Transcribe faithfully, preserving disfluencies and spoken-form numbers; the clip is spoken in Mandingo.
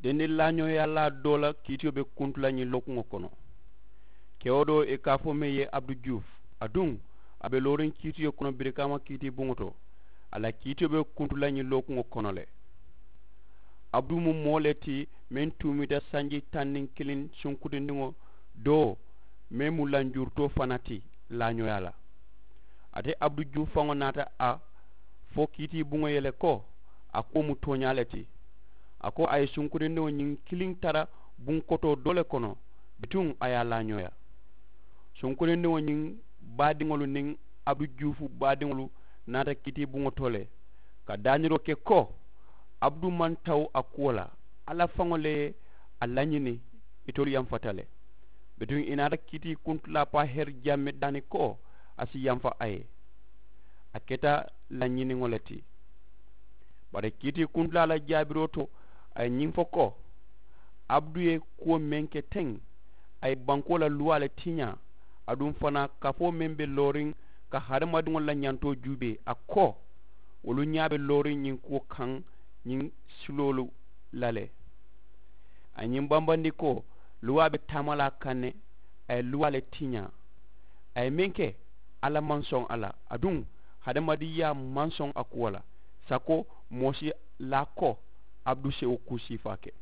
Sendi laañooyaalaa doo la kiitiyo be kuntu la ñiŋ lookuŋo kono. Kewo doo ì ka a fo meŋ ye abudu juuf, aduŋ a be looriŋ kiitiyo kono birikaama kiitii buŋo to. A la kiitiyo be kuntu la ñiŋ lookuŋo kono le. Abudu mu moo le ti meŋ tuumita sanji taŋ niŋ kiliŋ sunkutindiŋo doo meŋ mu lanjurutoo fana ti laañooyaa la. Ate abudu juuf faŋo naata a fo kiitii buŋo ye le ko a kuwo mu tooñaa le ti. A ko a ye sunkurindiŋo ñiŋ kiliŋ tara buŋ kotoo doo le kono bituŋ a ye a laañooyaa. Sunkurindiŋo ñiŋ baadiŋolu niŋ abudu juufu baadiŋolu naata kiitii buŋo to le ka daaniroo ke ko abudu maŋ tawu a kuwo la. Alla faŋo le ye a lañini. Itolu yamfata le bituŋ ì naata kiitii kuntulaa paa heri jammi daani ko a si yamfa a ye. A keta lañiniŋo le ti. Bari kiitii kuntulaa la jaabiroo to a ye ñiŋ fo ko abudu ye kuwo meŋ ke teŋ a ye bankoo la luwaa le tiñaa. Aduŋ fanaa kafoo meŋ be looriŋ ka hadamadiŋolu la ñantoo juubee a ko wolu ñaa be looriŋ ñiŋ kuwo kaŋ ñiŋ siloolu la le. A ye ñiŋ bambandi ko luwaa be taama la a kaŋ ne. A ye luwaa le tiñaa. A ye meŋ ke alla maŋ soŋ a la aduŋ hadamadiŋyaa maŋ soŋ a kuwo la. Sako moo si laa ko abudu si wo kuu siifaa ke.